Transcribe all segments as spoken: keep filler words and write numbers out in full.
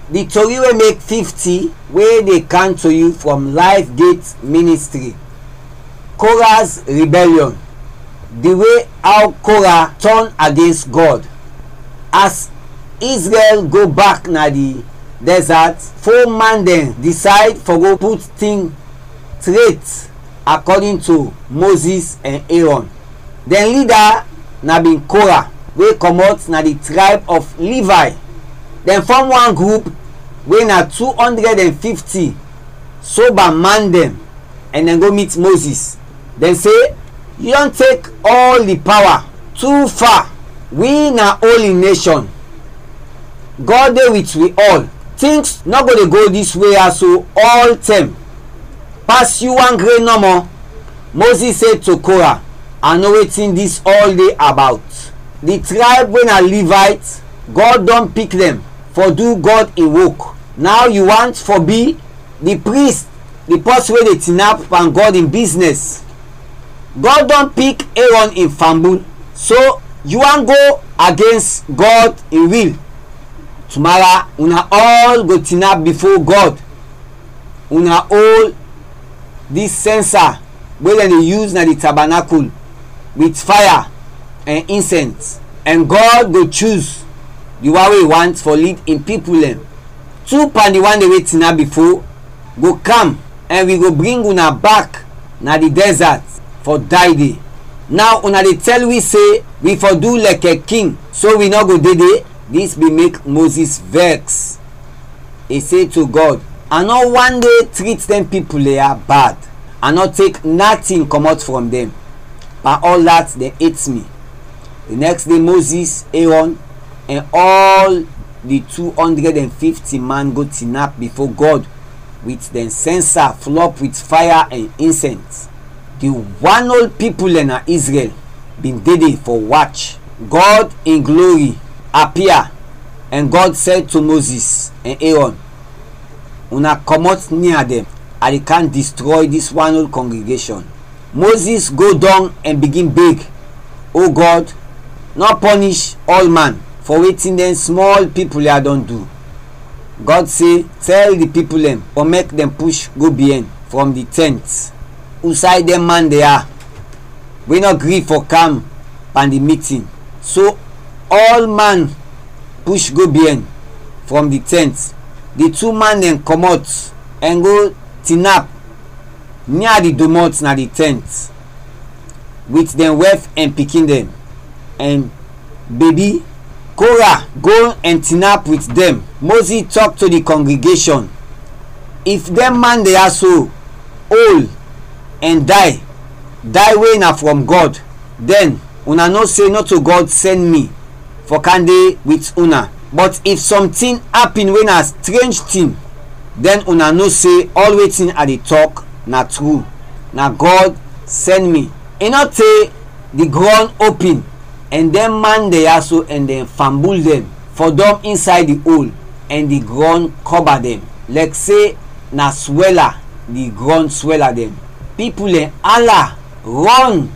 Di tori wey mek fifty wey dey kam to yu from Life Gate Ministry. Korah's rebellion. Di way how Korah turn against God. As Israel go back na di desert, four man dem decide for go put thing straight according to Moses and Aaron. Dem leader na bin Korah wey comot na di tribe of Levi. Dem form one group wey na two hundred and fifty sober man dem, and dem go meet Moses. Dem se, "Yu don tek all di pawa too far. Wi na holy nation. God dey wit wi all. Tings nɔ go dey go dis we ya so ɔltɛm. Pas yu wan gre nɔmɔ." Moses se to Korah, "A no wetin dis ɔl de abaut. Di trayb we na Livayt, Gɔd dɔn pik dɛn fɔ du Gɔd in wok. Naw yu want fɔ bi di prist, di pɔsin we de tinap pan Gɔd in biznɛs. Gɔd dɔn pik Erɔn in fambul, so yu want go agens Gɔd in wil? Tumara una ɔl go tinap bifo Gɔd. Una ol dis sɛnsa we dɛn de yus na di tabanakul wit faya ɛn insɛns, ɛn Gɔd go chus di wan we i want fɔ lid in pipul dɛn. Tu pan di wan dɛn we tinap bifo go kam, ɛn wi go bring una bak na di dɛzat fɔ day de. Naw una de tɛl wi se wi fɔ du lɛkɛ king, so wi nɔ go de de?" Dis bin mek Mozis vɛks. I se to Gɔd, "A nɔ wan de trit dɛn pipul ya bad. A nɔ tek natin kɔmɔt frɔm dɛn. Pan ɔl dat, dɛn et mi." Di nɛks de, Mozis, Erɔn, ɛn ɔl di tu ɔndrɛd ɛn fifti man go tinap bifo Gɔd wit dɛn sɛnsa flɔp wit faya ɛn insɛns. Di wan ol pipul dɛn na Izrɛl bin de de fɔ wach. Gɔd in glori apia, ɛn Gɔd sɛl to Mozis ɛn Erɔn, "Una kɔmɔt nia dɛn, a de kam distrɔy dis wan ol kɔngregeshɔn." Mozis go dɔng ɛn bigin beg, "O Gɔd, nɔ pɔnish ɔl man fɔ wetin dɛn smɔl pipul ya dɔn du." Gɔd se, "Tɛl di pipul dɛn fɔ mɛk dɛn push go biɛn frɔm di tɛnt." Usay dɛn man de ya we nɔ gri fɔ kam pan di mitin? So ɔl man push go biɛn frɔm di tɛnt. Di tu man dɛn kɔmɔt ɛn go tinap nia di domɔt na di tɛnt wit dɛn wɛf ɛn pikin dɛn ɛn bebi. Kora go ɛn tinap wit dɛn. Mozis tɔk to di kɔngregeshɔn, "If dɛn man de ya so ol ɛn day, day we na frɔm Gɔd, dɛn una no se nɔto Gɔd sɛn mi fɔ kam de wit una. Bɔt if sɔntin apin we na strenj tin, dɛn una no se ɔl wetin a de tɔk na tru. Na Gɔd sɛn mi." I nɔ te, di grɔn opin, ɛn dɛn man dɛn ya so ɛn dɛn fambul dɛn fɔdɔm insay di ol, ɛn di grɔn kɔba dɛn, lɛk se na swɛla di grɔn swɛla dɛn. Pipul dɛn ala, rɔn.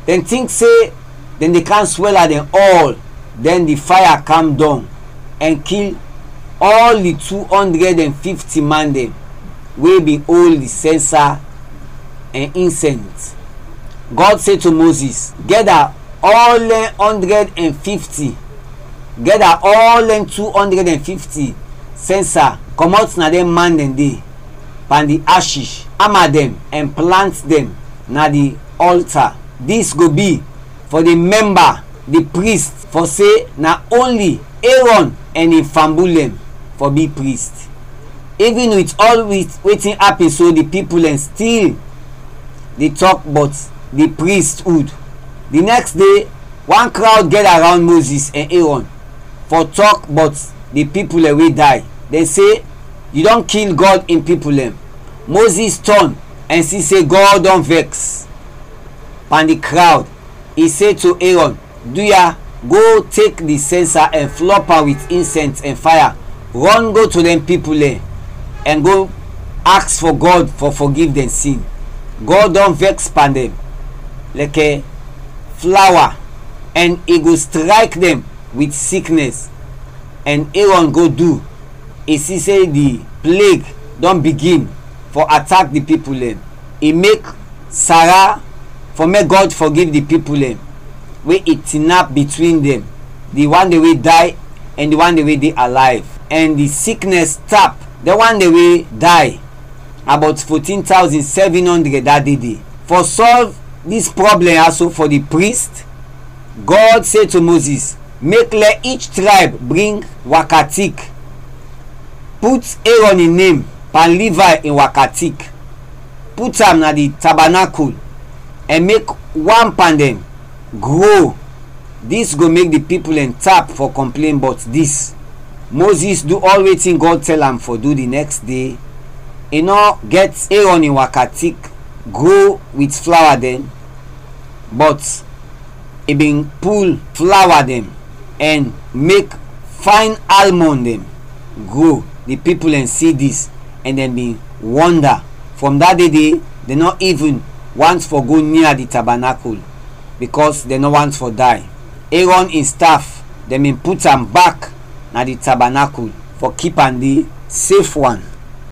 Dɛn tink se dɛn de kam swɛla dɛn ɔl. Dɛn di faya kam dɔng ɛn kil ɔl di tu ɔndrɛd ɛn fifti man dɛn we bin ol di sɛnsa ɛn insɛns. Gɔd se to Mozis, "Gɛda ɔl dɛn ɔndrɛd ɛn fifti, gɛda ɔl dɛn tu ɔndrɛd ɛn fifti sɛnsa kɔmɔt na dɛn man dɛn de pan di ashish, ama dɛn ɛn plant dɛn na di ɔlta. Dis go bi fɔ di mɛmba di prist, fɔ se na onli Erɔn ɛn in fambul dɛn fɔ bi prist." Ivin wit ɔl wit wetin apin so, di pipul dɛn stil de tɔk bɔt di pristwud. Di nɛks de, wan krawd gɛda rawnd Mozis ɛn Erɔn fɔ tɔk bɔt di pipul dɛn we day. Dɛn se, "Yu dɔn kil Gɔd in pipul dɛn." Mozis tɔn ɛn si se Gɔd dɔn vɛks pan di krawd. I se to Erɔn, "Duya, go tek di sɛnsa ɛn flɔp am wit insɛns ɛn faya, rɔn go to dɛn pipul dɛn ɛn go aks fɔ Gɔd fɔ fɔgiv dɛn sin. Gɔd dɔn vɛks pan dɛn lɛkɛ flawa, ɛn i go strayk dɛn wit siknɛs." Ɛn Erɔn go du I si se di plague dɔn bigin fɔ atak di pipul dɛn. I mek Sara fɔ mek Gɔd fɔgiv di pipul dɛn we i tinap bitwin dɛn, di wan dɛn we day ɛn di wan dɛn we de alayv. Ɛn di siknɛs tap dɛn wan dɛn we day, abɔt fotin tawzin sɛvin ɔndrɛd da de de. Fɔ sɔlv dis prɔblɛm ya so fɔ di prist, Gɔd se to Mozis, mek lɛ ich trayb bring wakatik. Put Erɔn in nem pan Livay in wakatik. Put am na di tabanakul ɛn mek wan pan dɛn gro. Dis go mek di pipul dɛn tap fɔ kɔmplen bɔt dis. Mozis du ɔl wetin Gɔd tɛl am fɔ du di nɛks de. I nɔ gɛt Erɔn in wakatik gro wit flawa dɛn, bɔt i bin pul flawa dɛn ɛn mek fayn almɔn dɛn gro. Di pipul dɛn si dis ɛn dɛn bin wɔnda. Frɔm da de de, dɛn nɔ ivin want fɔ go nia di tabanakul, bikɔs dɛn nɔ want fɔ day. Erɔn in staf, dɛn bin put am bak na di tabanakul fɔ kip am de sefwan.